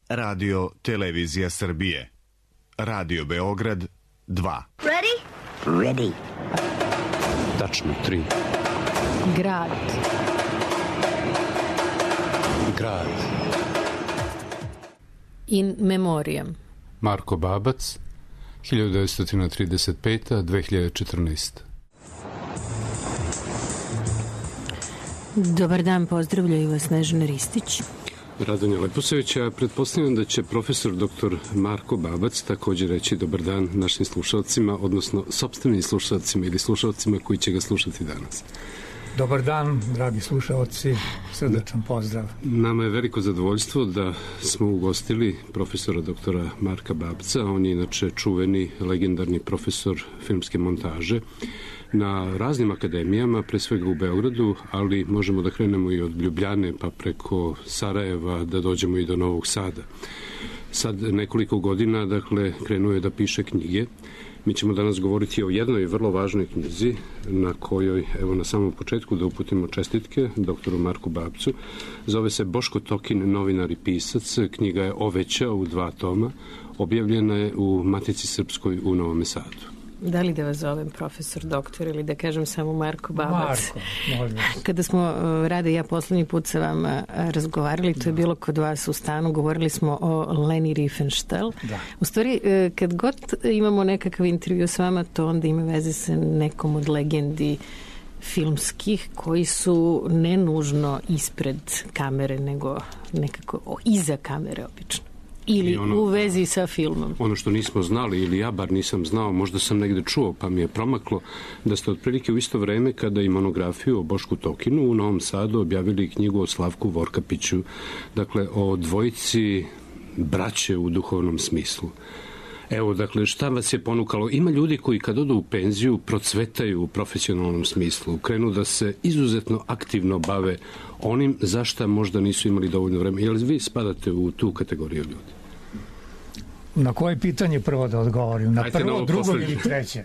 Radio Televizija Srbije. Radio Beograd 2. Ready? Ready. Tačno 3. Grad. Grad. In memoriam. Marko Babac, 1935-2014. Dobar dan, pozdravljaju vas Snežana Ristić. Radonja Leposević, ja pretpostavljam da će profesor dr. Marko Babac također reći dobar dan našim slušalcima, odnosno sopstvenim slušalcima ili slušalcima koji će ga slušati danas. Dobar dan, dragi slušalci, srdečan pozdrav. Nama je veliko zadovoljstvo da smo ugostili profesora doktora Marka Babca. On je inače čuveni, legendarni profesor filmske montaže na raznim akademijama, pre svega u Beogradu, ali možemo da krenemo i od Ljubljane pa preko Sarajeva da dođemo i do Novog Sada. Sad nekoliko godina, dakle, krenuo je da piše knjige. Mi ćemo danas govoriti o jednoj vrlo važnoj knjizi na kojoj, evo na samom početku da uputimo čestitke doktoru Marku Babcu. Zove se Boško Tokin, novinar i pisac. Knjiga je Oveća u 2 toma. Objavljena je u Matici Srpskoj u Novom Sadu. Da li da vas zovem profesor doktor ili da kažem samo Marko Babac? Marko, možda. Kada smo, Rade i ja, poslednji put sa vama razgovarali, to je bilo kod vas u stanu, govorili smo o Leni Riefenstahl. Da. U stvari, kad god imamo nekakav intervju s vama, to onda ima veze sa nekom od legendi filmskih koji su ne nužno ispred kamere, nego nekako iza kamere obično. Ili u vezi sa filmom. Ono što nismo znali, ili ja bar nisam znao, možda sam negde čuo, pa mi je promaklo, da ste otprilike u isto vreme kada i monografiju o Bošku Tokinu u Novom Sadu objavili knjigu o Slavku Vorkapiću, dakle o dvojici braće u duhovnom smislu. Evo, dakle, šta vas je ponukalo? Ima ljudi koji kad odu u penziju procvetaju u profesionalnom smislu, krenu da se izuzetno aktivno bave onim za šta možda nisu imali dovoljno vremena. Jel vi spadate u tu kategoriju ljudi? Na koje pitanje prvo da odgovorim? Na prvo, drugo ili treće?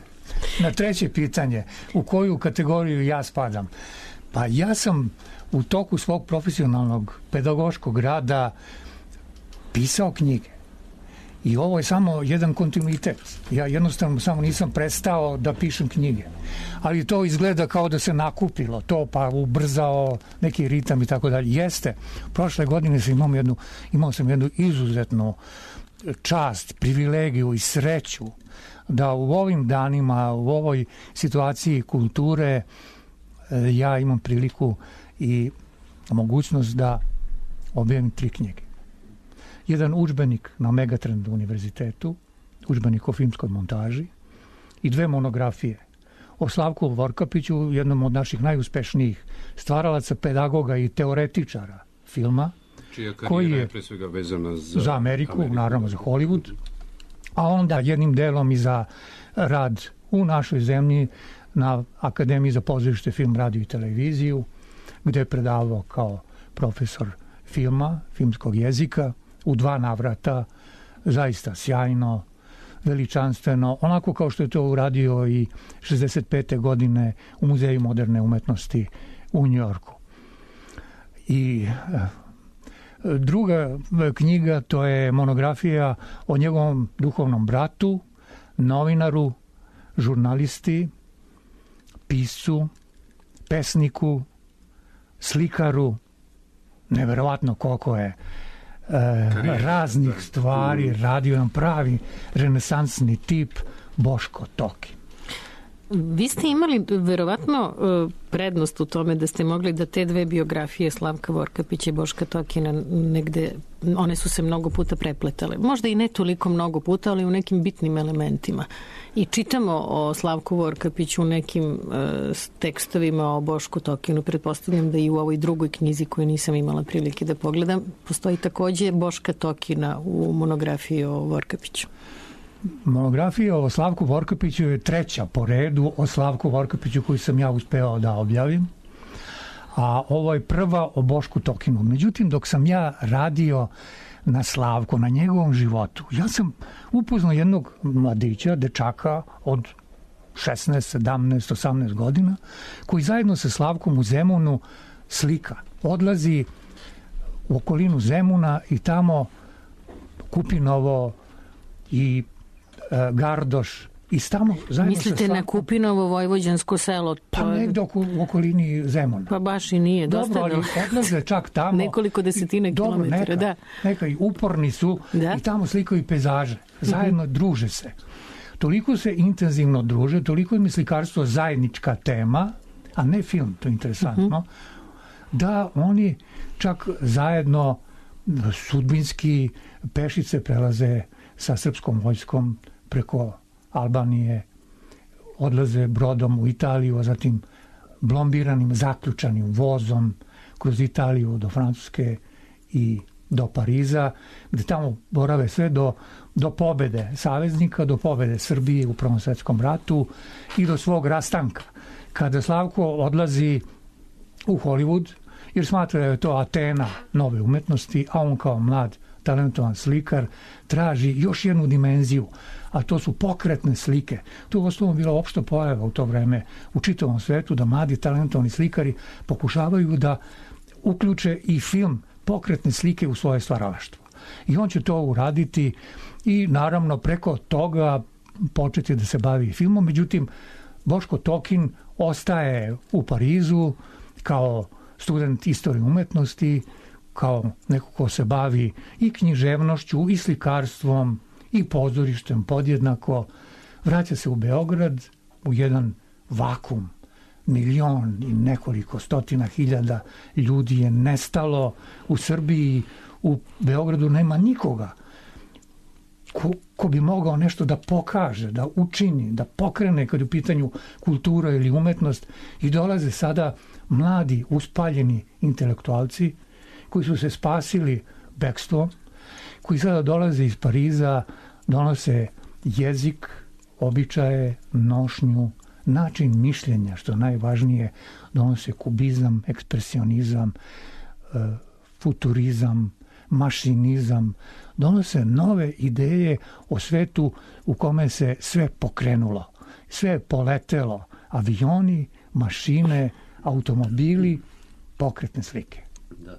Na treće pitanje, u koju kategoriju ja spadam? Pa ja sam u toku svog profesionalnog pedagoškog rada pisao knjige. I ovo je samo jedan kontinuitet. Ja jednostavno samo nisam prestao da pišem knjige. Ali to izgleda kao da se nakupilo to, pa ubrzao neki ritam i tako dalje. Jeste. Prošle godine imao sam jednu izuzetnu čast, privilegiju i sreću da u ovim danima, u ovoj situaciji kulture ja imam priliku i mogućnost da objavim 3 knjige. Jedan udžbenik na Megatrend univerzitetu, udžbenik o filmskoj montaži i 2 monografije o Slavku Vorkapiću, jednom od naših najuspešnijih stvaralaca, pedagoga i teoretičara filma. Čija karijera je pre svega vezana za Ameriku, naravno za Hollywood, a onda jednim delom i za rad u našoj zemlji na Akademiji za pozorište, film, radio i televiziju, gde je predavao kao profesor filma, filmskog jezika, u 2 navrata, zaista sjajno, veličanstveno, onako kao što je to uradio i 65. godine u Muzeju moderne umetnosti u Njujorku. I druga knjiga, to je monografija o njegovom duhovnom bratu, novinaru, žurnalisti, piscu, pesniku, slikaru, neverovatno koliko je raznih stvari radio, nam pravi renesansni tip Boško Tokin. Vi ste imali verovatno prednost u tome da ste mogli da te 2 biografije Slavka Vorkapića i Boška Tokina negde, one su se mnogo puta prepletale. Možda i ne toliko mnogo puta, ali u nekim bitnim elementima. I čitamo o Slavku Vorkapiću u nekim tekstovima o Bošku Tokinu. Pretpostavljam da i u ovoj drugoj knjizi koju nisam imala prilike da pogledam, postoji takođe Boška Tokina u monografiji o Vorkapiću. Monografija o Slavku Vorkapiću je 3. po redu o Slavku Vorkapiću koju sam ja uspeo da objavim, a ovo je prva o Bošku Tokinu. Međutim, dok sam ja radio na Slavku, na njegovom životu, ja sam upoznao jednog mladića, dečaka od 16, 17, 18 godina, koji zajedno sa Slavkom u Zemunu slika. Odlazi u okolinu Zemuna i tamo Kupinovo i Gardoš. I tamo zajedno mislite na Kupinovo vojvođansko selo? Pa negde u okolini Zemuna. Pa baš i nije. Dobro, ali odlaze čak tamo. Nekoliko desetina kilometara, da. Neka i uporni su i tamo slikaju pejzaže. Zajedno druže se. Toliko se intenzivno druže, toliko im je slikarstvo zajednička tema, a ne film, to je interesantno, da oni čak zajedno sudbinski pešice prelaze sa srpskom vojskom preko Albanije, odlaze brodom u Italiju, a zatim blombiranim, zaključanim vozom kroz Italiju do Francuske i do Pariza, gde tamo borave sve do pobede saveznika, do pobede Srbije u Prvom svetskom ratu i do svog rastanka. Kada Slavko odlazi u Hollywood, jer smatra da je to Atena nove umetnosti, a on kao mlad talentovan slikar traži još jednu dimenziju, a to su pokretne slike. To je u osnovu bila opšta pojava u to vreme u čitavom svetu, da mladi talentovani slikari pokušavaju da uključe i film, pokretne slike u svoje stvaralaštvo. I on će to uraditi i naravno preko toga početi da se bavi filmom. Međutim, Boško Tokin ostaje u Parizu kao student istorije umetnosti, kao neko ko se bavi i književnošću, i slikarstvom, i pozorištem podjednako. Vraća se u Beograd, u jedan vakum. 1.000.000 i nekoliko stotina hiljada ljudi je nestalo u Srbiji. U Beogradu nema nikoga ko bi mogao nešto da pokaže, da učini, da pokrene kad je u pitanju kultura ili umetnost. I dolaze sada mladi, uspaljeni intelektualci koji su se spasili bekstvom, koji sada dolaze iz Pariza, donose jezik, običaje, nošnju, način mišljenja, što najvažnije, donose kubizam, ekspresionizam, futurizam, mašinizam, donose nove ideje o svetu u kome se sve pokrenulo, sve je poletelo, avioni, mašine, automobili, pokretne slike. Da.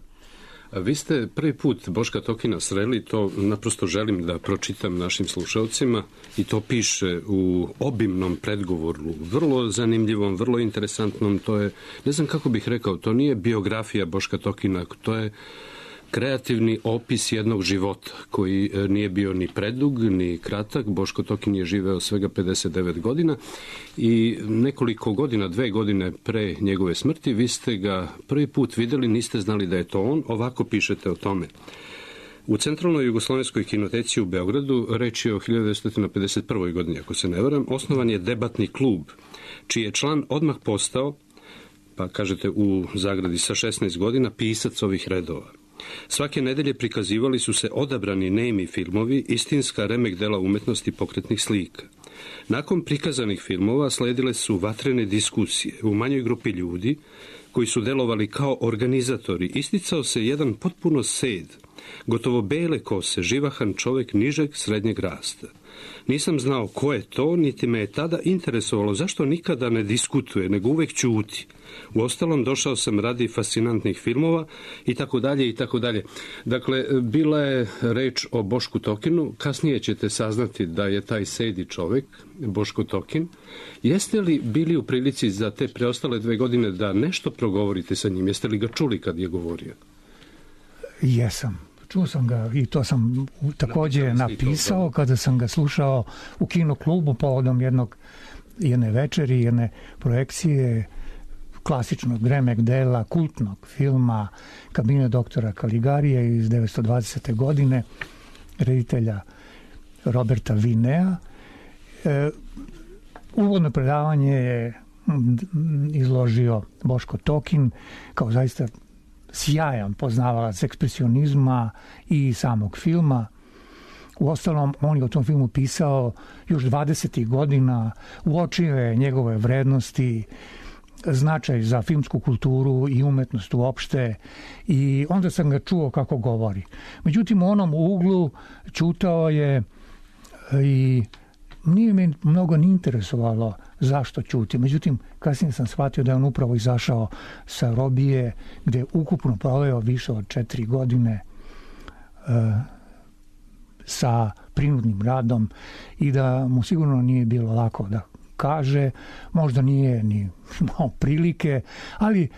Vi ste prvi put Boška Tokina sreli, to naprosto želim da pročitam našim slušalcima, i to piše u obimnom predgovoru, vrlo zanimljivom, vrlo interesantnom. To je, ne znam kako bih rekao, to nije biografija Boška Tokina, to je kreativni opis jednog života koji nije bio ni predug, ni kratak. Boško Tokin je živeo svega 59 godina i nekoliko godina, 2 godine pre njegove smrti, vi ste ga prvi put videli, niste znali da je to on. Ovako pišete o tome. U Centralnoj jugoslovenskoj kinoteci u Beogradu, reč je o 1951. godini, ako se ne varam, osnovan je debatni klub, čiji je član odmah postao, pa kažete u zagradi sa 16 godina, pisac ovih redova. Svake nedelje prikazivali su se odabrani nemi filmovi, istinska remek dela umetnosti pokretnih slika. Nakon prikazanih filmova sledile su vatrene diskusije u manjoj grupi ljudi koji su delovali kao organizatori. Isticao se jedan potpuno sed, gotovo bele kose, živahan čovek nižeg srednjeg rasta. Nisam znao ko je to, niti me je tada interesovalo zašto nikada ne diskutuje, nego uvek ćuti. Uostalom, došao sam radi fascinantnih filmova i tako dalje i tako dalje. Dakle, bila je reč o Bošku Tokinu. Kasnije ćete saznati da je taj sedi čovek, Boško Tokin. Jeste li bili u prilici za te preostale 2 godine da nešto progovorite sa njim? Jeste li ga čuli kad je govorio? Jesam. Čuo sam ga i to sam takođe napisao kada sam ga slušao u kinoklubu povodom jedne večeri, jedne projekcije klasičnog remek dela, kultnog filma Kabinet doktora Kaligarije iz 1920. godine, reditelja Roberta Vinea. Uvodno predavanje je izložio Boško Tokin kao zaista sjajan poznavalac ekspresionizma i samog filma. Uostalom, on je o tom filmu pisao još 20. godina, uočio je njegove vrednosti, značaj za filmsku kulturu i umetnost uopšte, i onda sam ga čuo kako govori. Međutim, u onom uglu ćutao je i nije me mnogo ni interesovalo zašto ćuti. Međutim, kasnije sam shvatio da je on upravo izašao sa robije, gde je ukupno proveo više od 4 godine sa prinudnim radom i da mu sigurno nije bilo lako da kaže, možda nije ni imao prilike, ali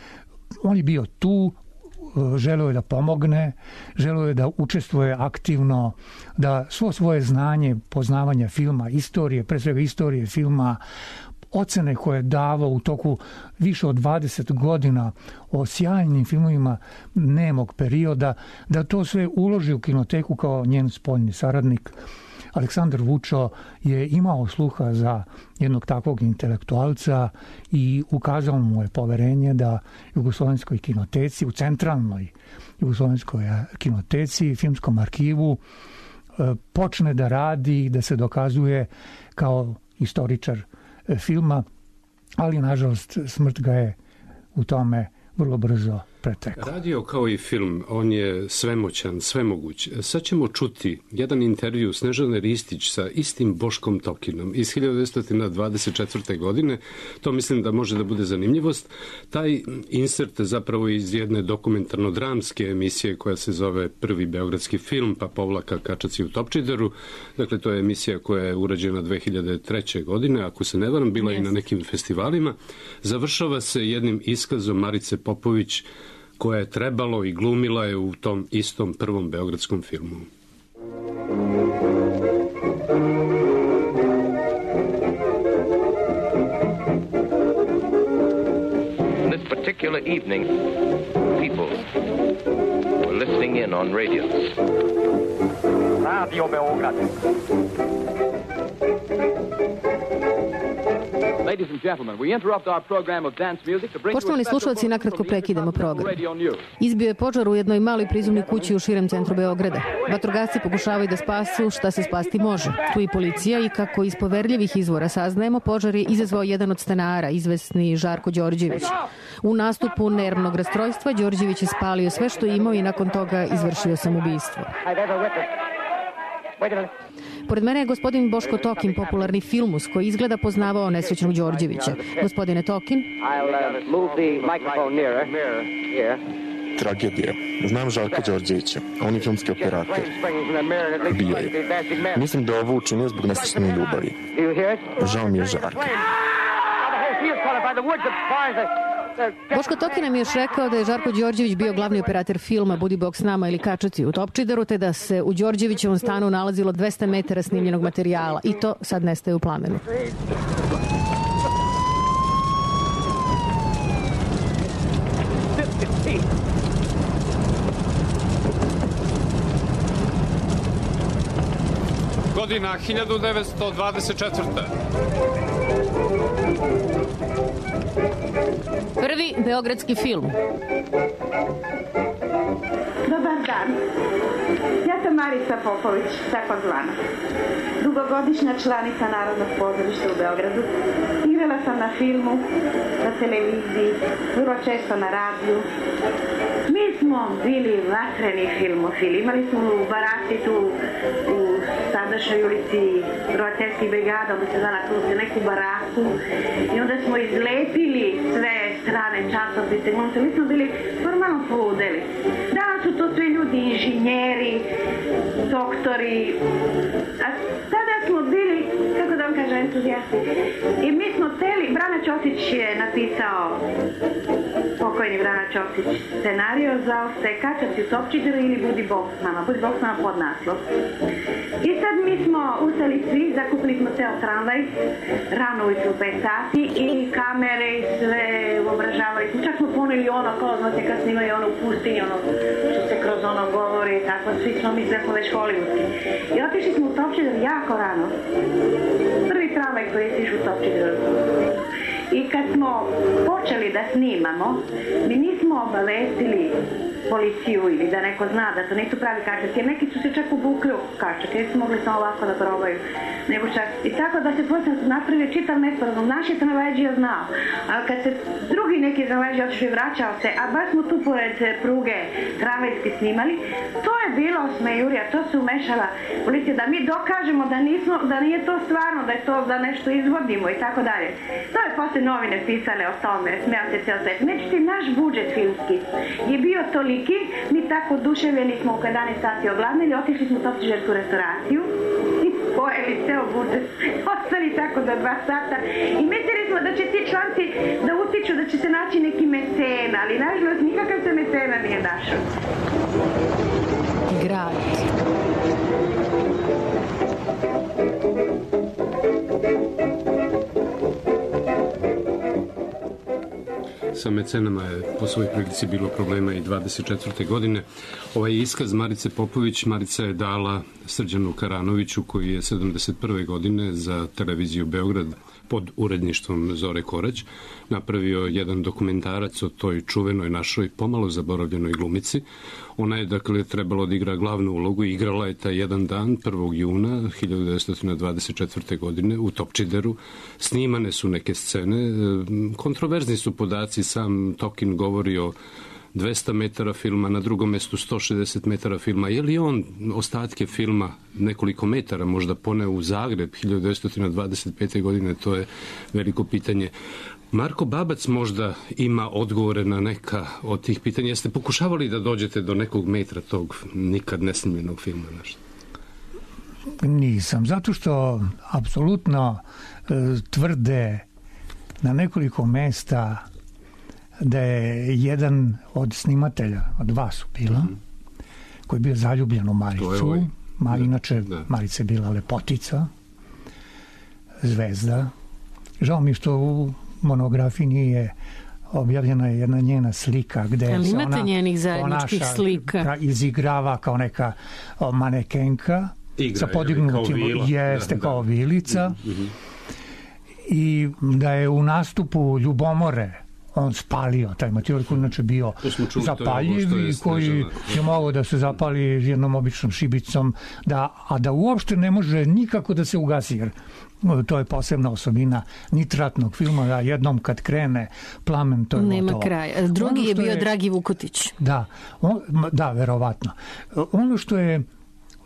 on je bio tu, želeo je da pomogne, želeo je da učestvuje aktivno, da svo svoje znanje, poznavanje filma, istorije, pre svega istorije filma, ocene koje je davao u toku više od 20 godina o sjajnim filmovima nemog perioda, da to sve uloži u kinoteku kao njen spoljni saradnik. Aleksandar Vučo je imao sluha za jednog takvog intelektualca i ukazao mu je poverenje da Jugoslovenskoj kinoteci, u centralnoj Jugoslovenskoj kinoteci, filmskom arhivu, počne da radi, da se dokazuje kao istoričar filma, ali nažalost smrt ga je u tome vrlo brzo pretekao. Radio kao i film, on je svemoćan, svemoguć. Sad ćemo čuti jedan intervju Snežane Ristić sa istim Boškom Tokinom iz 1924. godine. To mislim da može da bude zanimljivost. Taj insert zapravo iz jedne dokumentarno-dramske emisije koja se zove Prvi beogradski film, pa povlaka Kačaci u Topčideru. Dakle, to je emisija koja je urađena 2003. godine, ako se ne varam, bila i na nekim festivalima. Završava se jednim iskazom Marice Popović, koja je trebalo i glumila je u tom istom prvom beogradskom filmu. This particular evening, people were listening in on radios. Radio Beograd. Poštovani slušalci, nakratko prekidamo program. Izbio je požar u jednoj maloj prizemnoj kući u širem centru Beograda. Vatrogasci pokušavaju da spasu šta se spasti može. Tu i policija i kako iz poverljivih izvora saznajemo, požar je izazvao jedan od stanara, izvesni Žarko Đorđević. U nastupu nervnog rastrojstva Đorđević je spalio sve što je imao i nakon toga izvršio samoubistvo. Pored mene je gospodin Boško Tokin, popularni filmus koji izgleda poznavao nesrećnog Đorđevića. Gospodine Tokin. Tragedija. Znam Žarka Đorđevića. On je filmski operator. Bio je. Mislim da je ovo učinio zbog nesrećne ljubavi. Žao mi je Žarka. Boško Tokin nam je još rekao da je Žarko Đorđević bio glavni operator filma Budi Bog s nama ili Kačaci u Topčideru, te da se u Đorđevićevom stanu nalazilo 200 metara snimljenog materijala i to sad nestaje u plamenu. Godina 1924. Prvi beogradski film. Dobar dan. Ja sam Marica Popović, takozvana. Dugogodišnja članica Narodnog pozorišta u Beogradu. Igrala sam na filmu, na televiziji, vrlo često na radiju. Mi smo bili vatreni filmofili. Imali smo u Barati tu u sadašnjoj ulici Rovačevskih brigada, onda se zvala tu neku baraku i onda smo izlepili sve strane časopise. Mi smo bili formalno poludeli. Danas su to sve ljudi, inženjeri, doktori, a tada smo bili, kako da vam kažem, entuzijasti. I mi smo teli, Brana Ćosić je napisao, pokojni Brana Ćosić, scenario za Kačaci u Topčideru ili Budi Bog s nama. Budi Bog s nama pod naslov. I sad mi smo ustali svi, zakupili smo ceo tramvaj, rano ujutru u 5 sati i kamere i sve obražavali smo. Čak smo poneli ono, kao znate kad snimaju ono u pustinji, ono što se kroz ono govori, tako svi smo mi sve smo već hollywoodski. I otišli smo u Topčider jako rano. Prvi tramvaj koji je sišao u Topčideru. I kad smo počeli da snimamo, mi nismo obavestili policiju ili da neko zna da to nisu pravi kačaci, jer neki su se čak ubukli u kačake, jer su mogli samo ovako da probaju. Nego čak, i tako da se posle napravio čitav nesporazum. Naš je tramvajdžija znao, ali kad se drugi neki tramvajdžija otišao i vraćao se, a baš smo tu pored pruge tramvajski snimali, to je bilo smejurija, to se umešala policija, da mi dokažemo da nije to stvarno, da je to da nešto izvodimo i tako dalje. To je posle novine pisale o tome, smijao se ceo svet. Međutim, naš budžet filmski je bio toliki, mi tako oduševljeni smo u 11 sati ogladnili, otišli smo u Topčidersku restauraciju i pojeli ceo budžet. Ostali tako do 2 sata i mislili smo da će ti članci da utiču, da će se naći neki mecena, ali nažalost nikakav se mecena nije našao. Grad. Sa mecenama je po svojoj prilici bilo problema i 24. godine. Ovaj iskaz Marice Popović, Marica je dala Srđanu Karanoviću, koji je 71. godine za televiziju Beograd pod uredništvom Zore Korać napravio jedan dokumentarac o toj čuvenoj našoj pomalo zaboravljenoj glumici. Ona je, dakle, trebalo da igra glavnu ulogu i igrala je taj jedan dan, 1. juna 1924. godine u Topčideru. Snimane su neke scene. Kontroverzni su podaci, sam Tokin govori o 200 metara filma, na drugom mestu 160 metara filma. Je li on ostatke filma nekoliko metara možda poneo u Zagreb 1925. godine? To je veliko pitanje. Marko Babac možda ima odgovore na neka od tih pitanja. Jeste pokušavali da dođete do nekog metra tog nikad nesnimljenog filma? Nešto? Nisam, zato što apsolutno tvrde na nekoliko mesta da je jedan od snimatelja, od vas su bila, koji je bio zaljubljen u Maricu. Inače, Marica je bila lepotica, zvezda. Žao mi što u monografiji nije objavljena jedna njena slika gde ali se imate njenih zajedničkih slika? Izigrava kao neka manekenka sa podignutim, jeste kao vilica, i da je u nastupu Ljubomore on spalio taj materijal koji inače bio zapaljiv i koji je mogao da se zapali jednom običnom šibicom, a da uopšte ne može nikako da se ugasi, jer to je posebna osobina nitratnog filma, da jednom kad krene plamen, to je nema gotovo. kraja. Drugi je bio Dragi Vukotić. Da, verovatno. Ono što je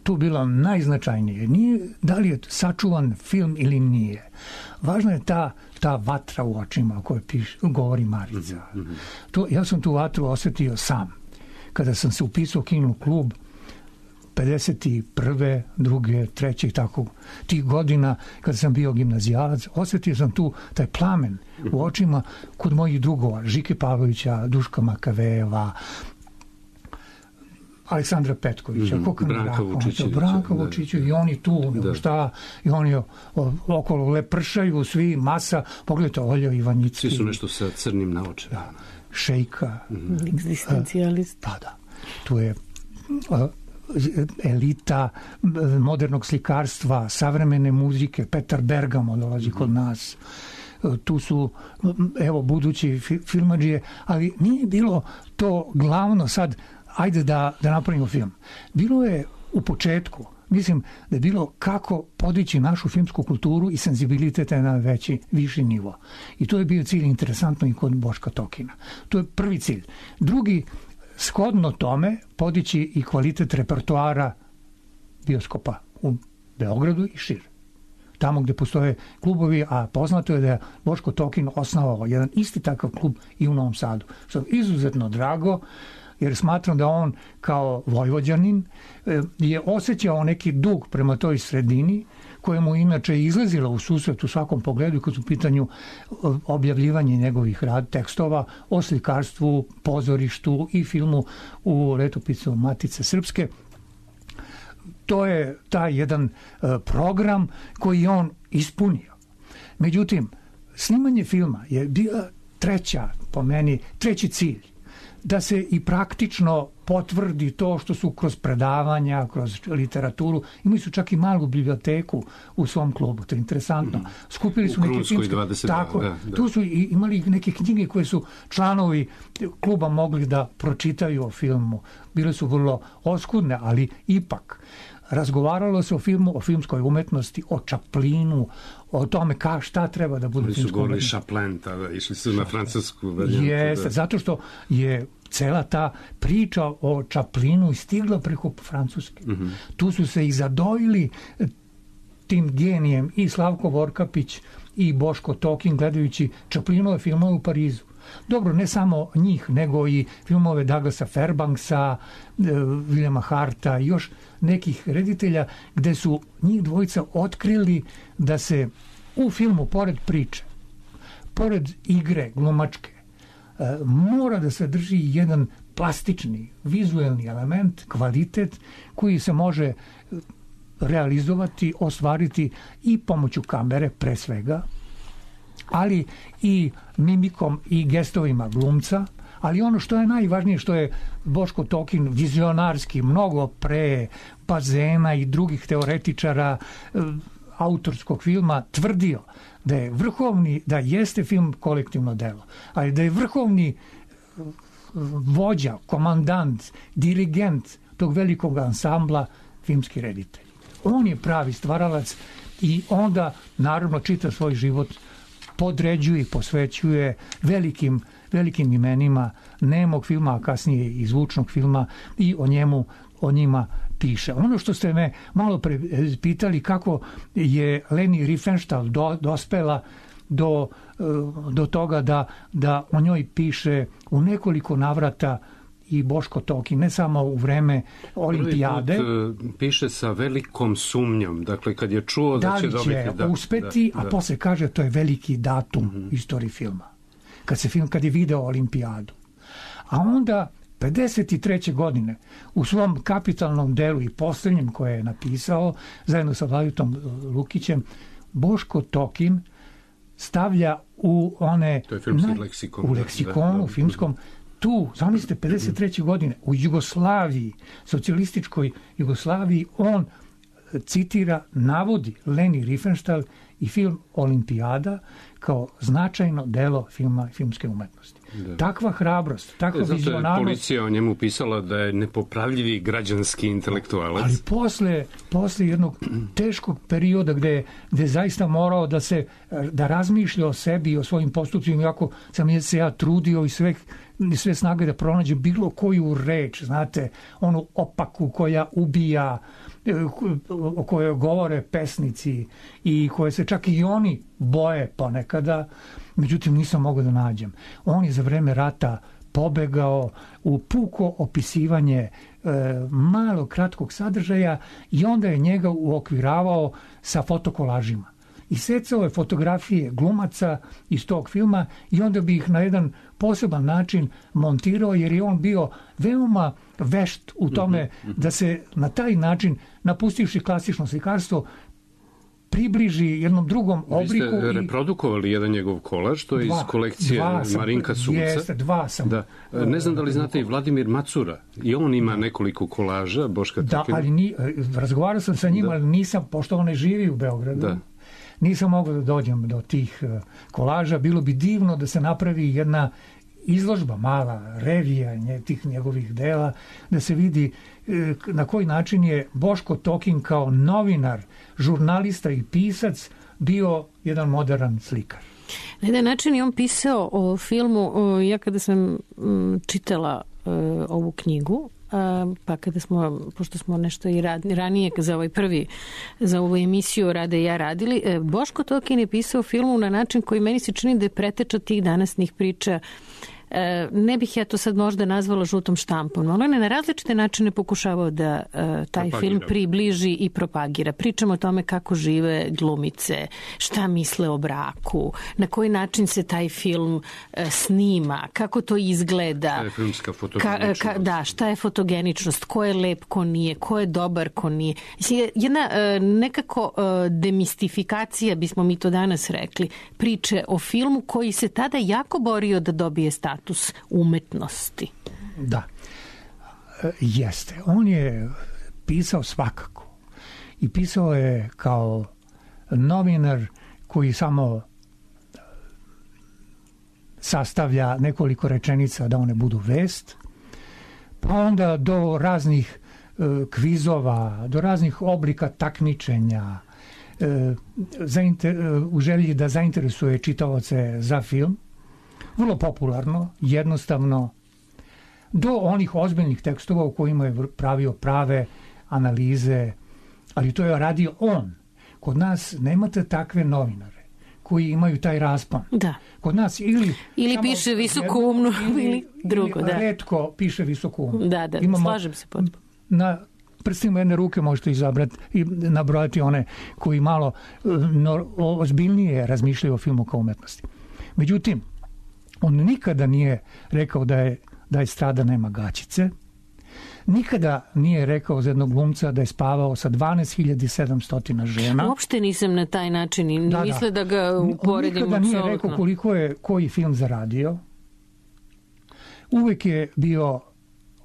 tu bilo najznačajnije, nije da li je sačuvan film ili nije. Važna je ta vatra u očima o kojoj govori Marica. Ja sam tu vatru osetio sam. Kada sam se upisao u kino klub 51. 2. 3. tako tih godina, kada sam bio gimnazijalac, osetio sam tu taj plamen u očima kod mojih drugova, Žike Pavlovića, Duška Makavejeva, Aleksandra Petkovića, Branka Vučića, i oni tu, i oni okolo lepršaju, svi, masa, pogledajte, Olja Ivanjicki. Svi su nešto sa crnim naočima. Šejka. Egzistencijalist. Da. Tu je elita modernog slikarstva, savremene muzike, Petar Bergamo dolazi kod nas. Tu su, budući filmadžije, ali nije bilo to glavno sad, ajde da napravimo film. Bilo je u početku, mislim da je bilo kako podići našu filmsku kulturu i senzibilitet na viši nivo. I to je bio cilj, interesantno, i kod Boška Tokina. To je prvi cilj. Drugi, shodno tome, podići i kvalitet repertoara bioskopa u Beogradu i šire. Tamo gde postoje klubovi, a poznato je da je Boško Tokin osnovao jedan isti takav klub i u Novom Sadu. Što je izuzetno drago, jer smatram da on kao Vojvođanin je osjećao neki dug prema toj sredini, kojemu inače izlazila u susret u svakom pogledu kad su u pitanju objavljivanje njegovih tekstova o slikarstvu, pozorištu i filmu u letopisu Matice Srpske. To je taj jedan program koji je on ispunio. Međutim, snimanje filma je bila treći cilj. Da se i praktično potvrdi to što su kroz predavanja, kroz literaturu, imali su čak i malu biblioteku u svom klubu, to je interesantno. Skupili su neke filmske... Tu su imali neke knjige koje su članovi kluba mogli da pročitaju o filmu. Bile su vrlo oskudne, ali ipak razgovaralo se o filmu, o filmskoj umetnosti, o Chaplinu, o tome šta treba da bude filmsko umetnost. Oni su govorili Chaplin, tada išli su na francusku varijantu. Jeste, zato što je cela ta priča o Chaplinu stigla preko Francuske. Tu su se i zadojili tim genijem i Slavko Vorkapić i Boško Tokin gledajući Chaplinove filmove u Parizu. Dobro, ne samo njih, nego i filmove Douglasa Fairbanksa, Williama Harta i još nekih reditelja, gde su njih dvojica otkrili da se u filmu, pored priče, pored igre glumačke, mora da sadrži jedan plastični, vizuelni element, kvalitet koji se može realizovati, ostvariti i pomoću kamere pre svega, ali i mimikom i gestovima glumca, ali ono što je najvažnije, što je Boško Tokin vizionarski, mnogo pre Bazena i drugih teoretičara autorskog filma tvrdio da je vrhovni, da jeste film kolektivno delo, ali da je vrhovni vođa, komandant, dirigent tog velikog ansambla filmski reditelj. On je pravi stvaralac i onda naravno čita svoj život podređuje i posvećuje velikim imenima nemog filma, a kasnije i zvučnog filma i o njima piše. Ono što ste me malo pre pitali kako je Leni Riefenstahl dospela do toga da o njoj piše u nekoliko navrata i Boško Tokin, ne samo u vreme olimpijade. Piše sa velikom sumnjom, dakle kad je čuo da će dobiti... Da li će uspeti, a posle kaže to je veliki datum u istoriji filma. Kad je video olimpijadu. A onda 53. godine u svom kapitalnom delu i posljednjem koje je napisao zajedno sa Vladitom Lukićem, Boško Tokin stavlja u one... To je filmski leksikon. U leksikonu filmskom. Tu, zamislite, 53. godine u Jugoslaviji, socijalističkoj Jugoslaviji, on citira, navodi Leni Riefenstahl i film Olimpijada kao značajno delo filma i filmske umetnosti. Da. Takva hrabrost, takva vizionarnost... Zato je policija o njemu pisala da je nepopravljivi građanski intelektualac. Ali posle jednog teškog perioda gde zaista morao da razmišlja o sebi i o svojim postupcima, iako sam se ja trudio i sve snage da pronađe bilo koju reč, znate, onu opaku koja ubija, o kojoj govore pesnici i koje se čak i oni boje ponekada, međutim nisam mogao da nađem. On je za vreme rata pobegao u puko opisivanje malo kratkog sadržaja i onda je njega uokviravao sa fotokolažima. I secao je fotografije glumaca iz tog filma i onda bi ih na jedan poseban način montirao, jer je on bio veoma vešt u tome da se na taj način, napustivši klasično slikarstvo, približi jednom drugom obliku. Vi ste reprodukovali jedan njegov kolaž, to je iz kolekcije Marinka Sulca. Jeste, dva sam. Da. Ne znam da li znate i Vladimir Macura. I on ima nekoliko kolaža, Boška Tokina. Da, ali razgovarao sam sa njim, ali nisam, pošto on ne živi u Beogradu. Da. Nisam mogao da dođem do tih kolaža. Bilo bi divno da se napravi jedna izložba, mala revija tih njegovih dela, da se vidi na koji način je Boško Tokin kao novinar, žurnalista i pisac bio jedan modern slikar. Na jedan način je on pisao o filmu, ja kada sam čitala ovu knjigu, pa kada smo, pošto smo nešto i ranije za ovu emisiju Rade i ja radili, Boško Tokin je pisao filmu na način koji meni se čini da je preteča tih danasnih priča. Ne bih ja to sad možda nazvala žutom štampom, ali on je na različite načine pokušavao da taj film približi i propagira. Pričamo o tome kako žive glumice, šta misle o braku, na koji način se taj film snima, kako to izgleda. Šta je filmska fotogeničnost? Šta je fotogeničnost, ko je lep, ko nije, ko je dobar, ko nije. Jedna nekako demistifikacija, bismo mi to danas rekli, priče o filmu koji se tada jako borio da dobije status umetnosti. Da, jeste. On je pisao svakako. I pisao je kao novinar koji samo sastavlja nekoliko rečenica da one budu vest, pa onda do raznih kvizova, do raznih oblika takmičenja, u želji da zainteresuje čitaoce za film. Vrlo popularno, jednostavno, do onih ozbiljnih tekstova u kojima je pravio prave analize, ali to je radio on. Kod nas nemate takve novinare koji imaju taj raspon. Da. Kod nas ili piše visoku umnu ili drugo. Ili retko piše visoku umnu. Da, slažem se potpuno. Na prstima jedne ruke možete izabrati i nabrojati one koji malo ozbiljnije razmišljaju o filmu kao umetnosti. Međutim, on nikada nije rekao da je strada nema gaćice. Nikada nije rekao za jednog glumca da je spavao sa 12.700 žena. Uopšte nisam na taj način i misle da ga uporedim. Nikada nije rekao koliko je koji film zaradio. Uvek je bio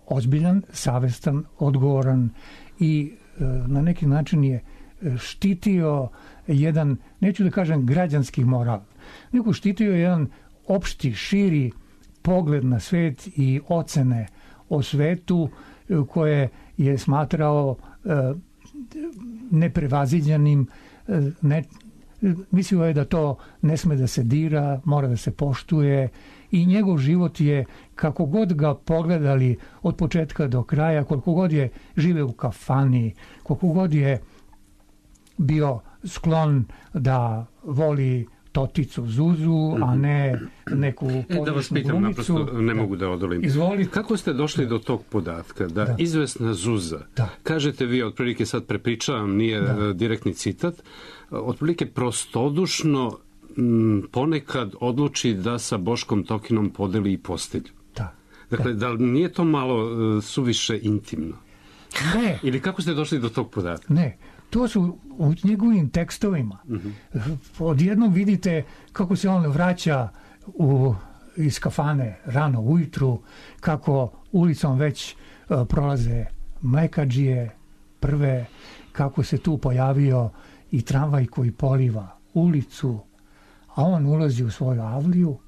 ozbiljan, savestan, odgovoran i na neki način je štitio jedan, neću da kažem građanski moral, nego štitio jedan opšti, širi pogled na svet i ocene o svetu koje je smatrao neprevaziđenim. Mislio je da to ne sme da se dira, mora da se poštuje i njegov život je, kako god ga pogledali od početka do kraja, koliko god je živeo u kafani, koliko god je bio sklon da voli Toticu Zuzu, a ne neku da vas pitam, naprosto ne mogu da odolim. Izvolite. Kako ste došli do tog podatka da izvesna Zuza, kažete vi, otprilike sad prepričavam, nije direktni citat, otprilike prostodušno ponekad odluči da sa Boškom Tokinom podeli i postelju. Dakle, da li nije to malo suviše intimno? Ne. Ili kako ste došli do tog podatka? Ne. To su u njegovim tekstovima. Odjednom vidite kako se on vraća iz kafane rano ujutru, kako ulicom već prolaze mlekadžije prve, kako se tu pojavio i tramvaj koji poliva ulicu, a on ulazi u svoju avliju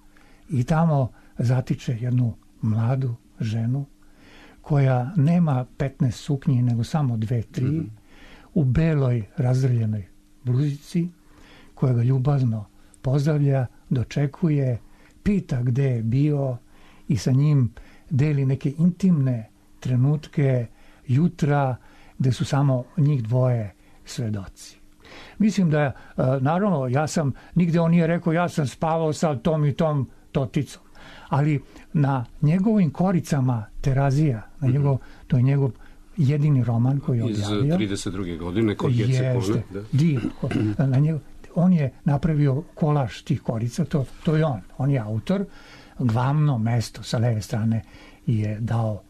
i tamo zatiče jednu mladu ženu koja nema 15 suknji, nego samo 2-3, u beloj razdrljenoj bluzici, koja ga ljubazno pozdravlja, dočekuje, pita gde je bio i sa njim deli neke intimne trenutke jutra gde su samo njih dvoje svedoci. Mislim da, naravno, nigde on nije rekao ja sam spavao sa tom i tom Toticom, ali na njegovim koricama Terazija, to je njegov jedini roman koji je objavio. Iz 32. godine, kod Gecekone. On je napravio kolaž tih korica, to je on. On je autor. Glavno mesto sa leve strane je dao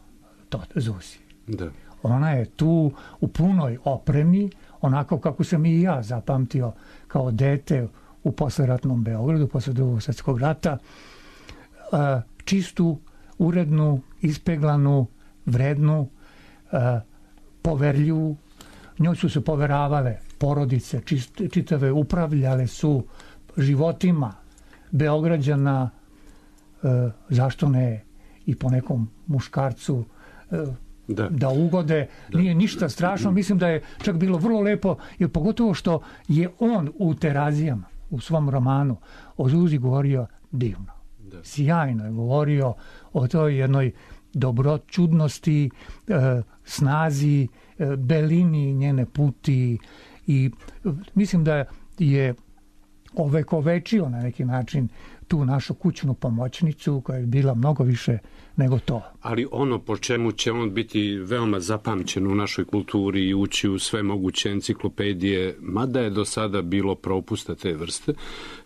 Zuzi. Da. Ona je tu u punoj opremi, onako kako sam i ja zapamtio kao dete u posleratnom Beogradu, posle Drugog svjetskog rata. Čistu, urednu, ispeglanu, vrednu, poverljivu. Njoj su se poveravale porodice čitave, upravljale su životima Beograđana, zašto ne i po nekom muškarcu da ugode. Nije ništa strašno, mislim da je čak bilo vrlo lepo, jer pogotovo što je on u Terazijama, u svom romanu o Zuzi govorio divno. Sjajno je govorio o toj jednoj dobročudnosti, snazi, belini njene puti i mislim da je ovekovečio na neki način tu našu kućnu pomoćnicu koja je bila mnogo više nego to. Ali ono po čemu će on biti veoma zapamćen u našoj kulturi i ući u sve moguće enciklopedije, mada je do sada bilo propusta te vrste,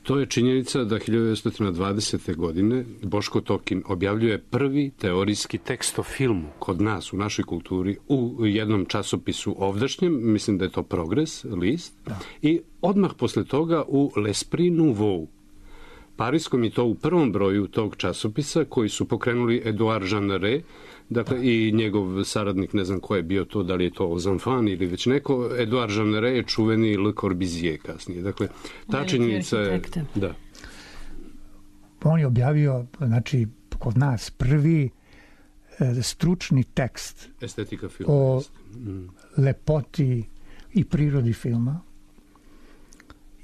to je činjenica da 1920. godine Boško Tokin objavljuje prvi teorijski tekst o filmu kod nas u našoj kulturi u jednom časopisu ovdašnjem, mislim da je to Progres, list, i odmah posle toga u L'Esprit Nouveau, parijskom, i to u prvom broju tog časopisa koji su pokrenuli Edouard Jeanneret, dakle i njegov saradnik, ne znam ko je bio to, da li je to aux enfants ili već neko. Edouard Jeanneret je čuveni Le Corbusier kasnije. Dakle, ta činjenica je... Da. On je objavio, znači, kod nas prvi stručni tekst estetika filma o lepoti i prirodi filma.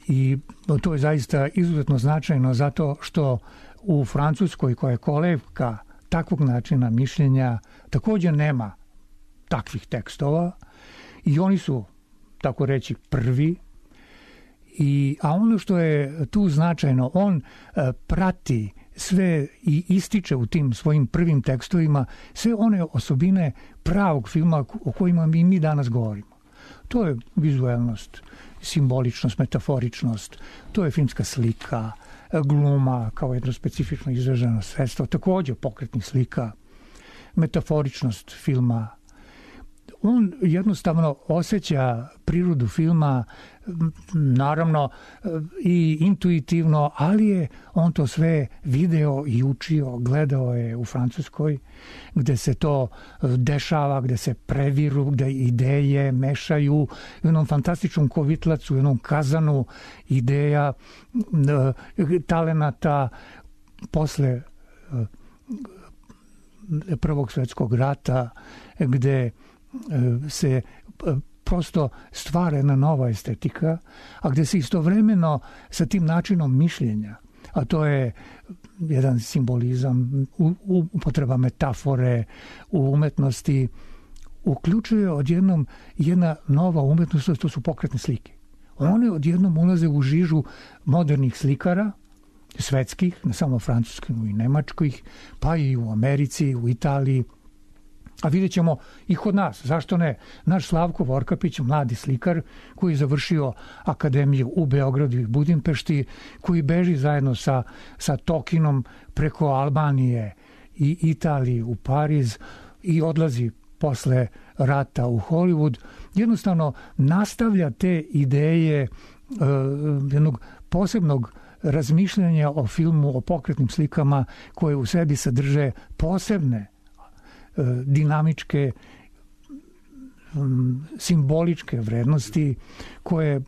I to je zaista izuzetno značajno zato što u Francuskoj, koja je kolevka takvog načina mišljenja, također nema takvih tekstova i oni su, tako reći, prvi A ono što je tu značajno, on prati sve i ističe u tim svojim prvim tekstovima sve one osobine pravog filma o kojima mi danas govorimo. To je vizuelnost, simboličnost, metaforičnost, to je filmska slika, gluma kao jedno specifično izraženo sredstvo, također pokretnih slika, metaforičnost filma. On jednostavno osjeća prirodu filma, naravno i intuitivno, ali je on to sve video i učio, gledao je u Francuskoj, gde se to dešava, gde se previru, gde ideje mešaju u jednom fantastičnom kovitlacu, u jednom kazanu ideja, talenata posle Prvog svjetskog rata, gde se prosto stvara jedna nova estetika, a gde se istovremeno sa tim načinom mišljenja, a to je jedan simbolizam, upotreba metafore u umetnosti, uključuje odjednom jedna nova umetnost, to su pokretne slike. One odjednom ulaze u žižu modernih slikara, svetskih, ne samo francuskih i nemačkih, pa i u Americi, u Italiji. A vidjet ćemo i kod nas, zašto ne? Naš Slavko Vorkapić, mladi slikar koji je završio akademiju u Beogradu i Budimpešti, koji beži zajedno sa Tokinom preko Albanije i Italije u Pariz i odlazi posle rata u Hollywood, jednostavno nastavlja te ideje jednog posebnog razmišljanja o filmu, o pokretnim slikama koje u sebi sadrže posebne dinamičke, simboličke vrednosti koje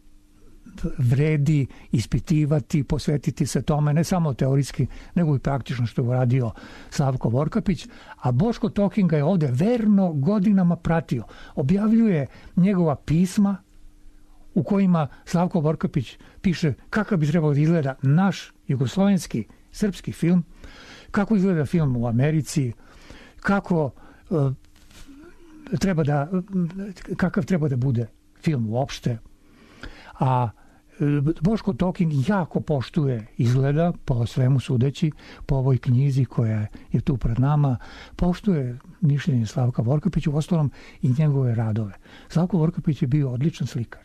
vredi ispitivati, posvetiti se tome, ne samo teorijski, nego i praktično što je uradio Slavko Vorkapić, a Boško Tokin ga je ovde verno godinama pratio. Objavljuje njegova pisma u kojima Slavko Vorkapić piše kakav bi trebalo da izgleda naš jugoslovenski, srpski film, kako izgleda film u Americi, kakav treba da bude film uopšte. A Boško Tokin jako poštuje, izgleda, po svemu sudeći, po ovoj knjizi koja je tu pred nama, poštuje mišljenje Slavka Vorkapića, uostalom i njegove radove. Slavko Vorkapić je bio odličan slikar.